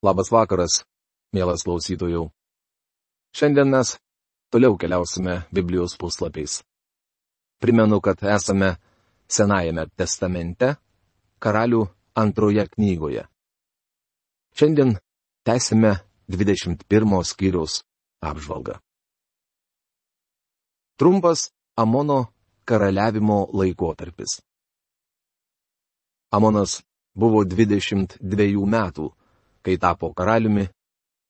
Labas vakaras, mielas klausytojau. Šiandien mes toliau keliausime Biblijos puslapiais. Primenu, kad esame Senajame testamente, Karalių antroje knygoje. Šiandien tęsime 21 skyriaus apžvalgą. Trumpas Amono karaliavimo laikotarpis. Amonas buvo 22 metų, kai tapo karaliumi,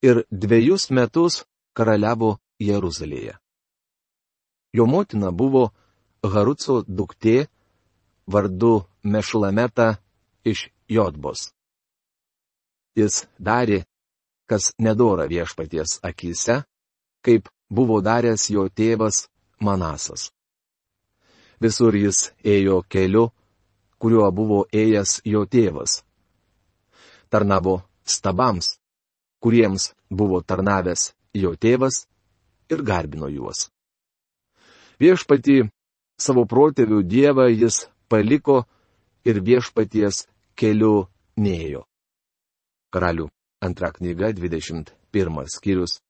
ir 2 metus karaliavo Jeruzalėje. Jo motina buvo Haruco duktė vardu Mešulameta iš Jotbos. Jis darė, kas nedora viešpaties akyse, kaip buvo daręs jo tėvas Manasas. Visur jis ėjo keliu, kuriuo buvo ėjęs jo tėvas. Tarnavo stabams, kuriems buvo tarnavęs jo tėvas, ir garbino juos. Viešpatį savo protėvių dievą jis paliko ir viešpaties keliu nėjo. Karalių antra knyga, 21 skyrius,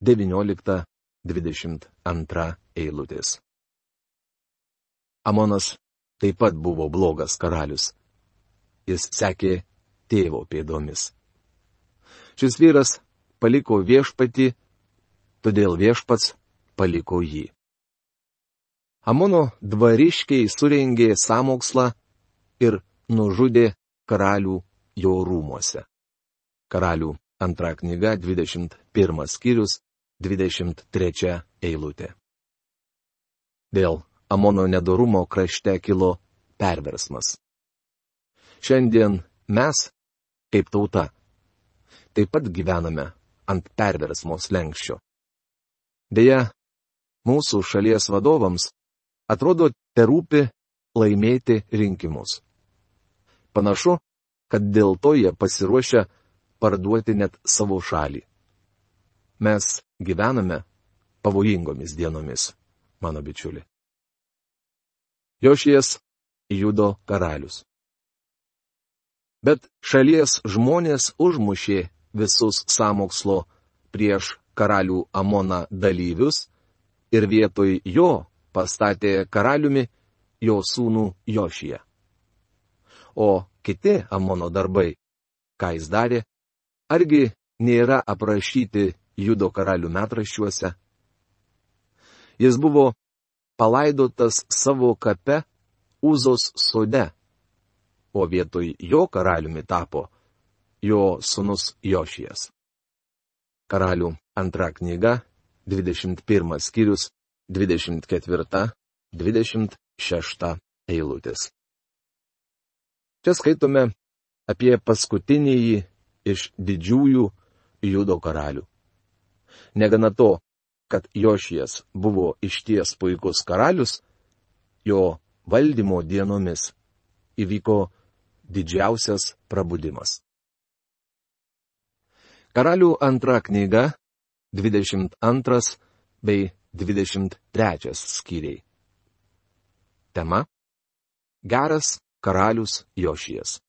19-22 eilutės. Amonas taip pat buvo blogas karalius. Jis sekė tėvo pėdomis. Šis vyras paliko viešpatį, todėl viešpats paliko jį. Amono dvariškiai surengė sąmokslą ir nužudė karalių jo rūmuose. Karalių antra knyga, 21 skyrius, 23 eilutė. Dėl Amono nedorumo krašte kilo perversmas. Šiandien mes, kaip tauta, taip pat gyvename ant perversmo slenksčio. Deja, mūsų šalies vadovams atrodo terūpi laimėti rinkimus. Panašu, kad dėl to jie pasiruošia parduoti net savo šalį. Mes gyvename pavojingomis dienomis, mano bičiuli. Jošijas Judo karalius. Bet šalies žmonės užmušė visus sąmokslo prieš karalių Amoną dalyvius ir vietoj jo pastatė karaliumi jo sūnų Jošiją. O kiti Amono darbai, ką jis darė, argi nėra aprašyti Judo karalių metraščiuose? Jis buvo palaidotas savo kape Uzos sode, o vietoj jo karaliumi tapo jo sūnus Jošijas. Karalių antra knyga, 21 skyrius, 24-26 eilutės. Čia skaitome apie paskutinįjį iš didžiųjų Judo karalių. Negana to, kad Jošijas buvo išties puikus karalius, jo valdymo dienomis įvyko didžiausias prabudimas. Karalių antra knyga, 22 bei 23 skyriai. Tema: Geras karalius Jošijas.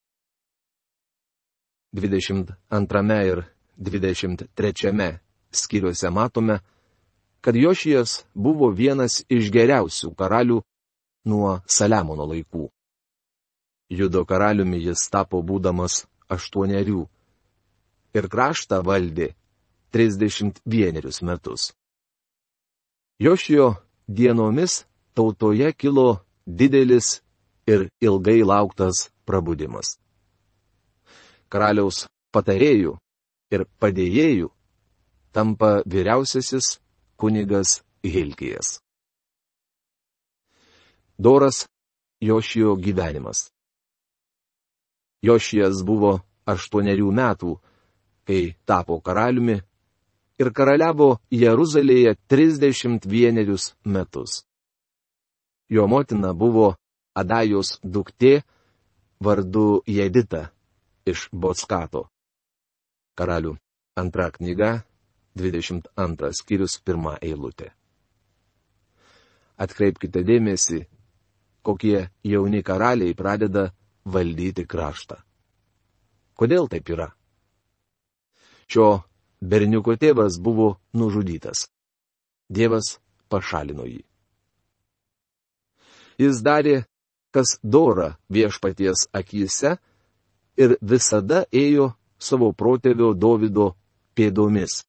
22 ir 23 skyriuose matome, kad Jošijas buvo vienas iš geriausių karalių nuo Saliamono laikų. Judo karaliumi jis tapo būdamas 8 ir kraštą valdė 31 metus. Jošijo dienomis tautoje kilo didelis ir ilgai lauktas prabudimas. Karaliaus patarėjų ir padėjėjų tampa vyriausiasis kunigas Hilkijas. Doras Jošijo gyvenimas. Jošijas buvo 8 metų, kai tapo karaliumi, ir karaliavo Jeruzalėje 31 metus. Jo motina buvo Adajos duktė vardu Jedita iš Bockato. Karalių antra knyga, 22 skyrius, 1 eilutė. Atkreipkite dėmesį, kokie jauni karaliai pradeda valdyti kraštą. Kodėl taip yra? Šio berniuko tėvas buvo nužudytas. Dievas pašalino jį. Jis darė, kas dora viešpaties akyse ir visada ėjo savo protėvio Dovydo pėdomis,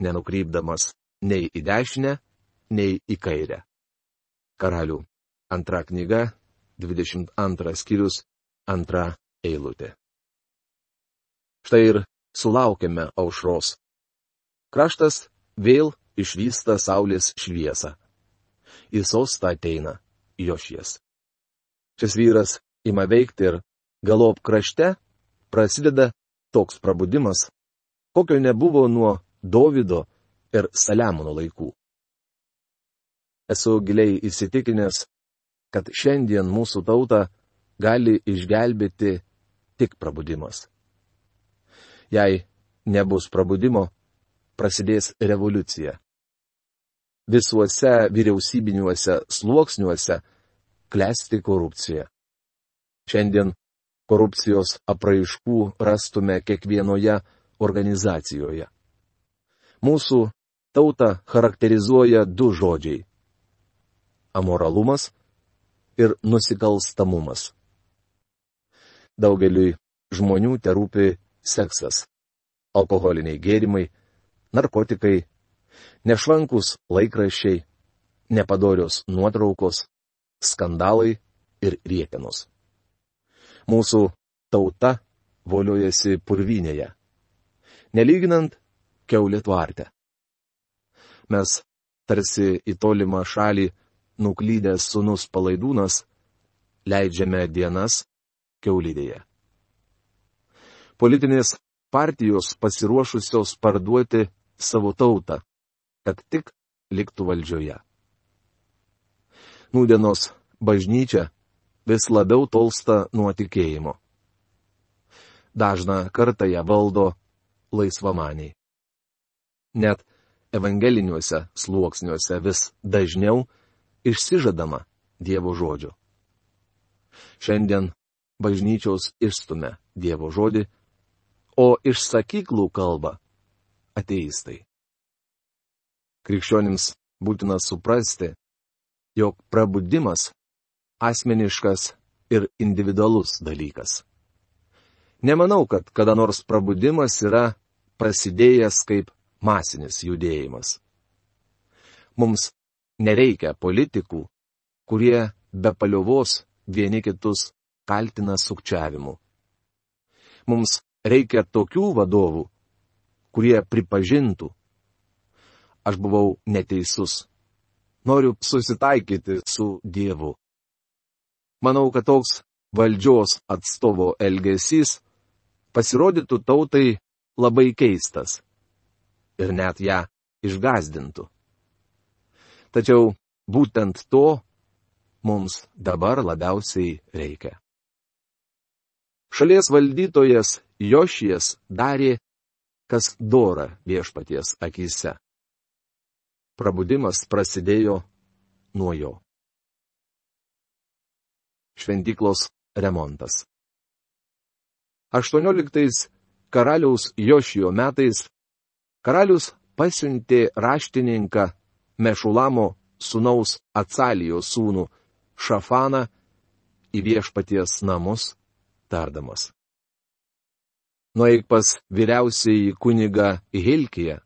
nenukrypdamas nei į dešinę, nei į kairę. Karalių 2 knyga, 22 skyrius, 2 eilutė. Štai ir sulaukėme aušros. Kraštas vėl išvysta saulės šviesą. Į sostą ateina Jošies. Šis vyras ima veikti ir galop krašte prasideda toks prabudimas, kokio nebuvo nuo Dovydo ir Saliamono laikų. Esu giliai įsitikinęs, kad šiandien mūsų tautą gali išgelbėti tik prabudimas. Jei nebus prabudimo, prasidės revoliucija. Visuose vyriausybiniuose sluoksniuose klesti korupcija. Šiandien korupcijos apraiškų rastume kiekvienoje organizacijoje. Mūsų tautą charakterizuoja 2 žodžiai - amoralumas ir nusikalstamumas. Daugeliui žmonių terūpi seksas, alkoholiniai gėrimai, narkotikai, nešvankus laikraščiai, nepadorios nuotraukos, skandalai ir rietenos. Mūsų tauta voliojasi purvynėje, nelyginant kiaulė tvarte. Mes tarsi į tolimą šalį nuklydęs sūnus palaidūnas leidžiame dienas kiaulidėje. Politinės partijos pasiruošusios parduoti savo tautą, kad tik liktų valdžioje. Nūdienos bažnyčia vis labiau tolsta nuo tikėjimo. Dažną kartą ją valdo laisvamaniai. Net evangeliniuose sluoksniuose vis dažniau išsižadama Dievo žodžio. Šiandien bažnyčios išstumia Dievo žodį, o iš sakyklų kalba ateistai. Krikščionims būtina suprasti, jog prabudimas asmeniškas ir individualus dalykas. Nemanau, kad kada nors prabudimas yra prasidėjęs kaip masinis judėjimas. Mums nereikia politikų, kurie be paliovos vieni kitus kaltina sukčiavimu. Mums reikia tokių vadovų, kurie pripažintų: aš buvau neteisus. Noriu susitaikyti su Dievu. Manau, kad toks valdžios atstovo elgesys pasirodytų tautai labai keistas ir net ją išgąsdintų. Tačiau būtent to mums dabar labiausiai reikia. Šalies valdytojas Jošijas darė, kas dora viešpaties akyse. Prabudimas prasidėjo nuo jo. Šventyklos remontas. 18 karaliaus Jošijo metais karalius pasiuntė raštininką Mešulamo sūnaus Acalijos sūnų Šafaną į viešpaties namus, tardamas: nueik pas vyriausiąjį kunigą Hilkiją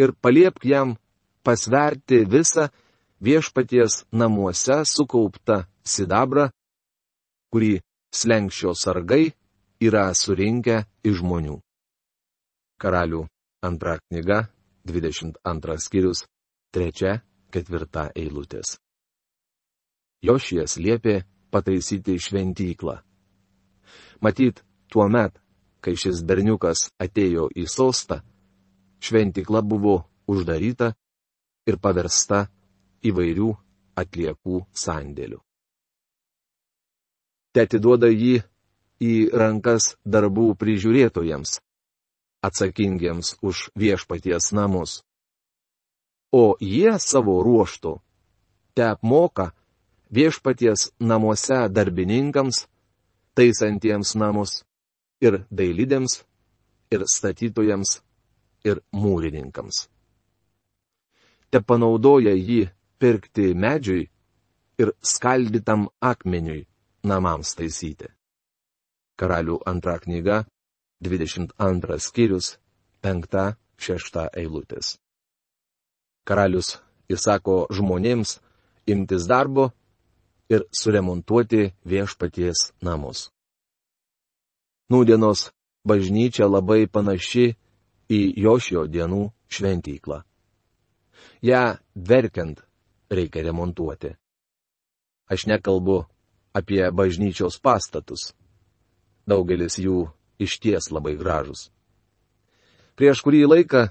ir paliepk jam pasverti visą viešpaties namuose sukauptą sidabrą, kurį slenksčio sargai yra surinkę iš žmonių. Karalių 2 knyga, 22 skyrius, 3-4 eilutės. Jošijas liepė pataisyti šventyklą. Matyt, tuomet, kai šis berniukas atėjo į sostą, šventykla buvo uždaryta ir paversta įvairių atliekų sandėlių. Te atiduoda jį į rankas darbų prižiūrėtojams, atsakingiems už viešpaties namus. O jie savo ruožtu te apmoka viešpaties namuose darbininkams, taisantiems namus, ir dailidėms, ir statytojams, ir mūrininkams. Te panaudoja jį pirkti medžiui ir skaldytam akmeniui namams taisyti. Karalių 2 knyga, 22 skyrius, 5-6 eilutės. Karalius įsako žmonėms imtis darbo ir suremontuoti viešpaties namus. Nūdienos bažnyčia labai panaši į Jošijo dienų šventyklą. Ja verkiant reikia remontuoti. Aš nekalbu apie bažnyčios pastatus. Daugelis jų išties labai gražus. Prieš kurį laiką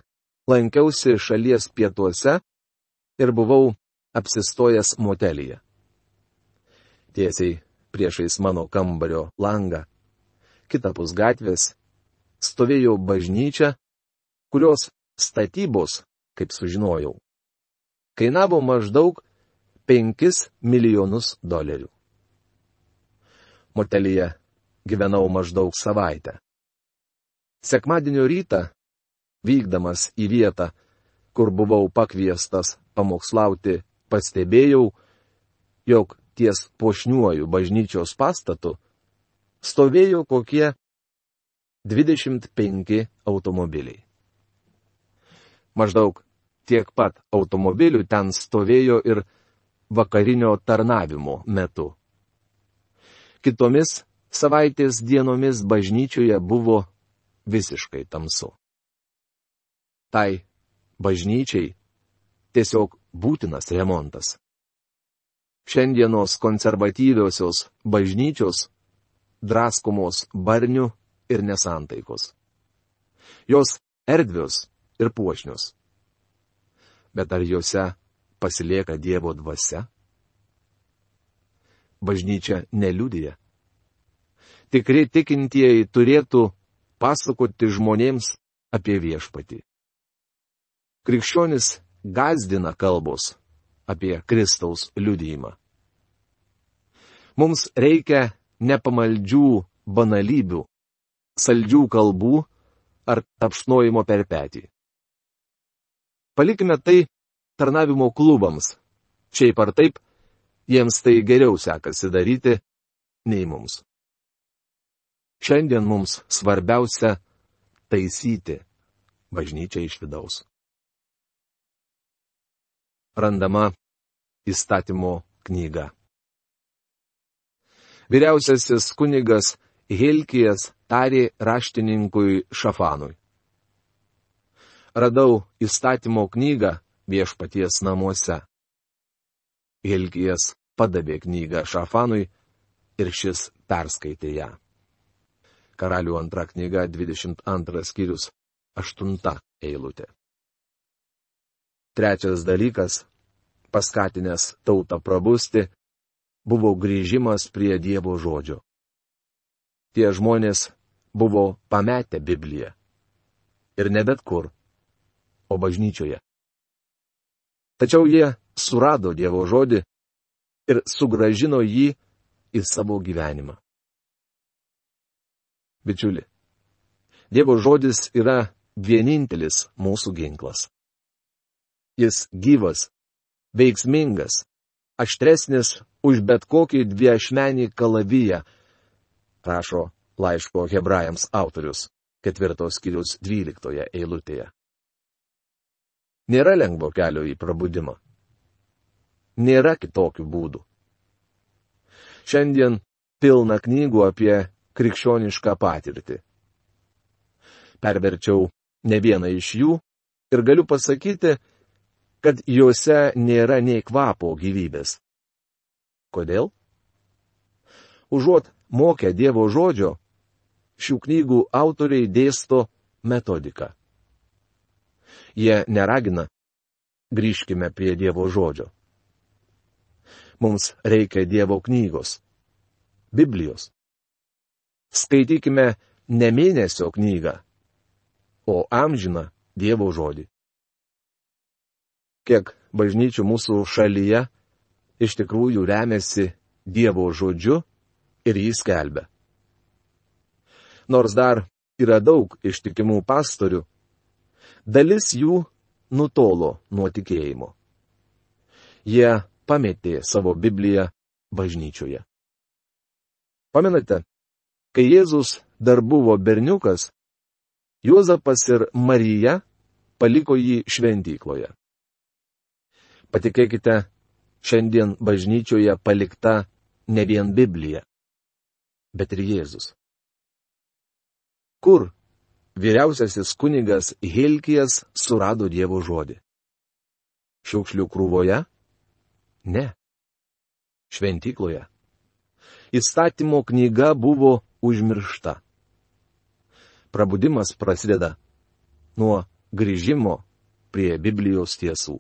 lankiausi šalies pietuose ir buvau apsistojęs motelyje. Tiesiai priešais mano kambario langą, kitapus gatvės, stovėjo bažnyčia, kurios statybos, kaip sužinojau, kainavo maždaug $5 milijonus. Motelyje gyvenau maždaug savaitę. Sekmadienio rytą, vykdamas į vietą, kur buvau pakviestas pamokslauti, pastebėjau, jog ties puošniuoju bažnyčios pastatu stovėjo kokie 25 automobiliai. Maždaug tiek pat automobilių ten stovėjo ir vakarinio tarnavimo metu. Kitomis savaitės dienomis bažnyčioje buvo visiškai tamsu. Tai bažnyčiai tiesiog būtinas remontas. Šiandienos konservatyviosios bažnyčios draskomos barnių ir nesantaikos. Jos erdvios ir puošnios. Bet ar jose pasilieka Dievo dvasia? Bažnyčia neliudija. Tikri tikintieji turėtų pasakoti žmonėms apie viešpatį. Krikščionis gąsdina kalbos apie Kristaus liudijimą. Mums reikia nepamaldžių banalybių, saldžių kalbų ar tapšnojimo per petį. Palikime tai tarnavimo klubams. Šiaip ar taip, jiems tai geriau sekasi daryti nei mums. Šiandien mums svarbiausia taisyti bažnyčią iš vidaus. Randama įstatymo knyga. Vyriausiasis kunigas Hilkijas tarė raštininkui Šafanui: radau įstatymo knygą viešpaties namuose. Hilkijas padavė knygą Šafanui ir šis perskaitė ją. Karalių 2 knyga, 22 skyrius, 8 eilutė. Trečias dalykas, paskatinęs tautą prabusti, buvo grįžimas prie Dievo žodžio. Tie žmonės buvo pametę Bibliją. Ir ne bet kur, o bažnyčioje. Tačiau jie surado Dievo žodį ir sugrąžino jį į savo gyvenimą. Bičiuli, Dievo žodis yra vienintelis mūsų ginklas. Jis gyvas, veiksmingas, aštresnis už bet kokį dviašmenį kalaviją, rašo laiško Hebrajams autorius, 4 skyriaus 12 eilutėje. Nėra lengvo kelio į prabudimą. Nėra kitokių būdų. Šiandien pilna knygų apie krikščionišką patirtį. Perverčiau ne vieną iš jų ir galiu pasakyti, kad juose nėra nei kvapo gyvybės. Kodėl? Užuot mokę Dievo žodžio, šių knygų autoriai dėsto metodiką. Jie neragina: grįžkime prie Dievo žodžio. Mums reikia Dievo knygos, Biblijos. Skaitykime ne mėnesio knygą, o amžiną Dievo žodį. Kiek bažnyčių mūsų šalyje iš tikrųjų remiasi Dievo žodžiu ir jį skelbia. Nors dar yra daug ištikimų pastorių, dalis jų nutolo nuo tikėjimo. Jie pametė savo Bibliją bažnyčioje. Pamenate, kai Jėzus dar buvo berniukas, Juozapas ir Marija paliko jį šventykloje. Patikėkite, šiandien bažnyčioje palikta ne vien Biblija, bet ir Jėzus. Kur vyriausiasis kunigas Hilkijas surado Dievo žodį? Šiukšlių krūvoje? Ne. Šventykloje. Įstatymo knyga buvo užmiršta. Prabudimas prasideda nuo grįžimo prie Biblijos tiesų.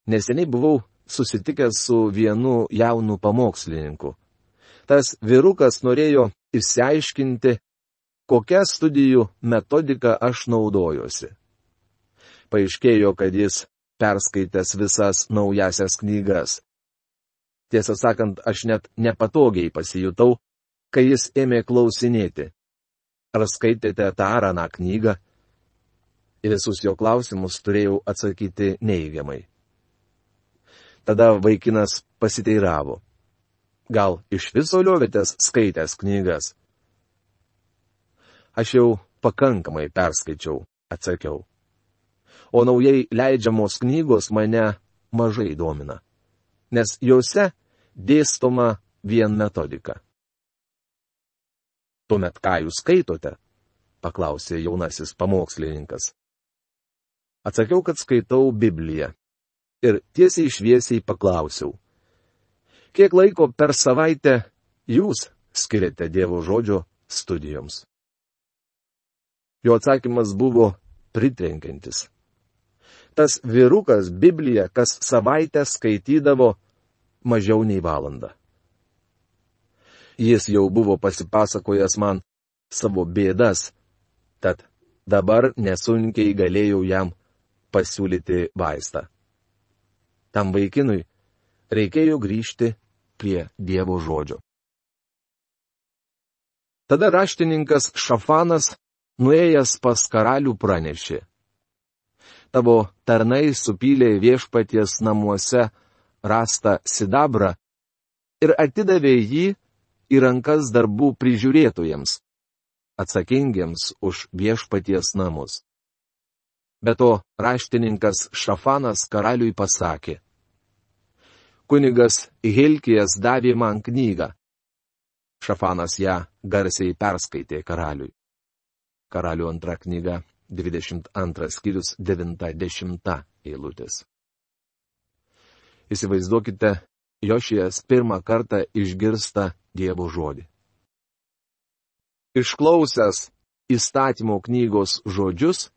Neseniai buvau susitikęs su vienu jaunu pamokslininku. Tas vyrukas norėjo išsiaiškinti, kokią studijų metodiką aš naudojuosi. Paaiškėjo, kad jis perskaitęs visas naujasias knygas. Tiesą sakant, aš net nepatogiai pasijutau, kai jis ėmė klausinėti. Ar skaitėte tą ar aną knygą? Į visus jo klausimus turėjau atsakyti neigiamai. Tada vaikinas pasiteiravo. Gal iš viso liovėtės skaitęs knygas? Aš jau pakankamai perskaičiau, atsakiau. O naujai leidžiamos knygos mane mažai domina, nes jose dėstoma vien metodika. Tuomet ką jūs skaitote? Paklausė jaunasis pamokslininkas. Atsakiau, kad skaitau Bibliją. Ir tiesiai šviesiai paklausiau. Kiek laiko per savaitę jūs skiriate Dievo žodžio studijoms? Jo atsakymas buvo pritrenkiantis. Tas vyrukas Bibliją kas savaitę skaitydavo mažiau nei valandą. Jis jau buvo pasipasakojęs man savo bėdas, tad dabar nesunkiai galėjau jam pasiūlyti vaistą. Tam vaikinui reikėjo grįžti prie Dievo žodžio. Tada raštininkas Šafanas, nuėjęs pas karalių, pranešė. Tavo tarnai supylė viešpaties namuose rastą sidabrą ir atidavė jį į rankas darbų prižiūrėtojams, atsakingiems už viešpaties namus. Be to, raštininkas Šafanas karaliui pasakė. Kunigas Hilkijas davė man knygą. Šafanas ją garsiai perskaitė karaliui. Karalių antra knyga, 22 skyrius, 9-10 eilutės. Įsivaizduokite, Jošijas pirmą kartą išgirsta Dievo žodį. Išklausęs įstatymo knygos žodžius,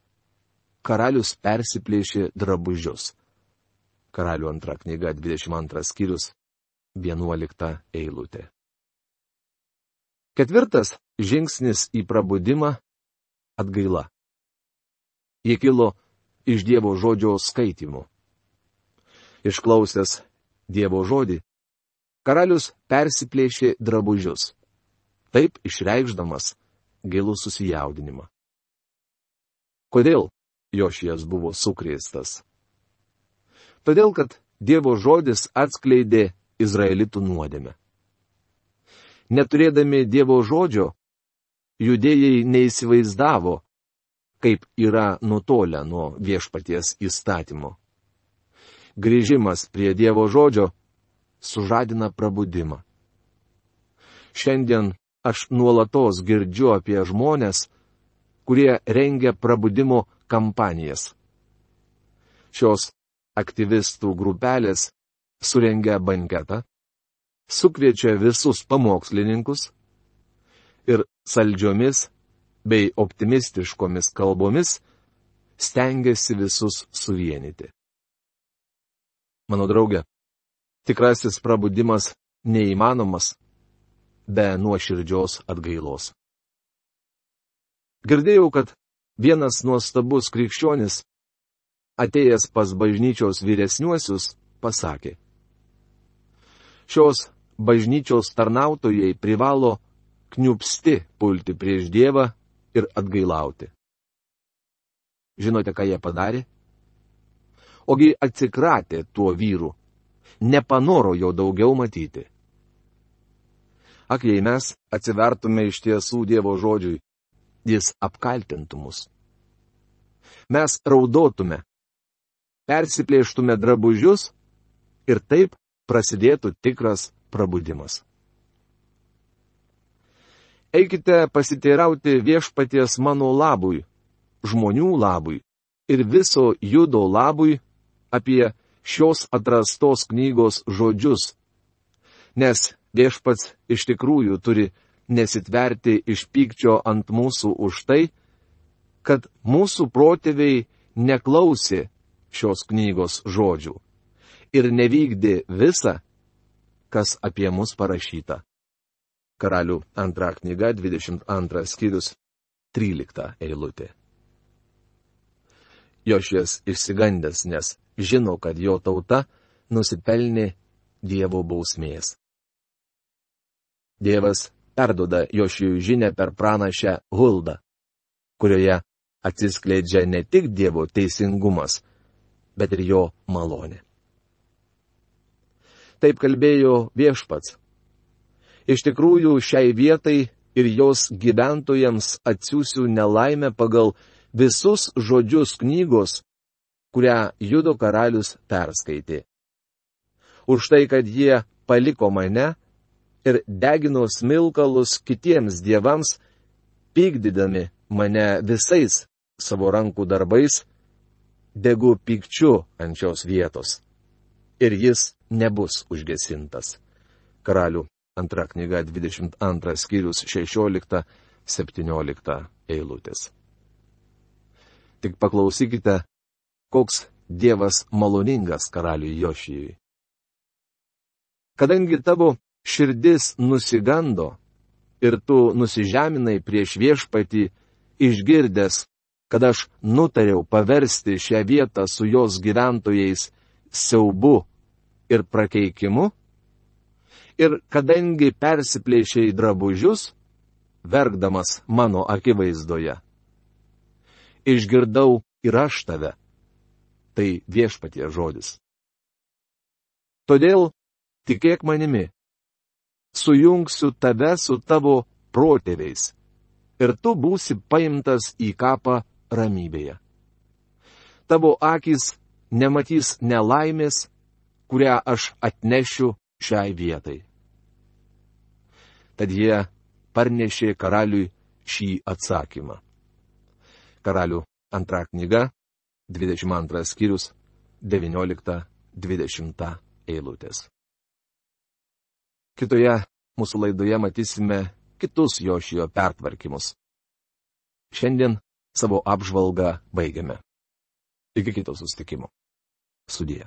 karalius persiplėšė drabužius. Karalių antra knyga, 22 skyrius, 11 eilutė. Ketvirtas žingsnis į prabudimą - atgaila. Ji kilo iš Dievo žodžio skaitymų. Išklausęs Dievo žodį, karalius persiplėšė drabužius, taip išreikšdamas gilų susijaudinimą. Kodėl Jošijas buvo sukrėstas? Todėl, kad Dievo žodis atskleidė Izraelitų nuodėmę. Neturėdami Dievo žodžio, judėjai neįsivaizdavo, kaip yra nutolę nuo viešpaties įstatymo. Grįžimas prie Dievo žodžio sužadina prabudimą. Šiandien aš nuolatos girdžiu apie žmonės, kurie rengia prabudimo kampanijas. Šios aktyvistų grupelės surengia banketą, sukviečia visus pamokslininkus ir saldžiomis bei optimistiškomis kalbomis stengiasi visus suvienyti. Mano draugė, tikrasis prabudimas neįmanomas be nuoširdžios atgailos. Girdėjau, kad vienas nuostabus krikščionis, atėjęs pas bažnyčios vyresniuosius, pasakė: šios bažnyčios tarnautojai privalo kniupsti pulti prieš Dievą ir atgailauti. Žinote, ką jie padarė? Ogi atsikratė tuo vyru, nepanoro jo daugiau matyti. Ak, jei mes atsivertume iš tiesų Dievo žodžiui, jis apkaltintų mus. Mes raudotume, persiplėštume drabužius ir taip prasidėtų tikras prabudimas. Eikite pasiteirauti viešpaties mano labui, žmonių labui ir viso Judo labui apie šios atrastos knygos žodžius, nes viešpats iš tikrųjų turi nesitverti iš pykčio ant mūsų už tai, kad mūsų protėviai neklausė šios knygos žodžių ir nevykdė visą, kas apie mus parašyta. Karalių 2 knyga, 22 skyrius, 13 eilutė. Jošijas išsigandęs, nes žino, kad jo tauta nusipelnė Dievo bausmės. Dievas perduoda Jošijui žinią per pranašę Huldą, kurioje atsiskleidžia ne tik Dievo teisingumas, bet ir jo malonė. Taip kalbėjo viešpats. Iš tikrųjų, šiai vietai ir jos gyventojams atsiųsiu nelaimę pagal visus žodžius knygos, kurią Judo karalius perskaitė. Už tai, kad jie paliko mane ir degino smilkalus kitiems dievams, pykdydami mane visais savo rankų darbais, degu pykčiu ant šios vietos. Ir jis nebus užgesintas. Karalių 2 knyga 22 skyrius 16-17 eilutės. Tik paklausykite, koks Dievas maloningas karaliui Jošijui. Kadangi tavo širdis nusigando ir tu nusižeminai prieš viešpatį, išgirdęs, kad aš nutariau paversti šią vietą su jos gyventojais siaubu ir prakeikimu, ir kadangi persiplėšiai drabužius, verkdamas mano akivaizdoje, išgirdau ir aš tave. Tai viešpatie žodis. Todėl tikėk manimi, sujungsiu tave su tavo protėviais, ir tu būsi paimtas į kapą ramybėje. Tavo akys nematys nelaimės, kurią aš atnešiu šiai vietai. Tad jie parnešė karaliui šį atsakymą. Karalių 2 knyga, 22 skyrius, 19-20 eilutės. Kitoje mūsų laidoje matysime kitus Jošijo pertvarkymus. Šiandien savo apžvalgą baigiame. Iki kito susitikimo. Sudie.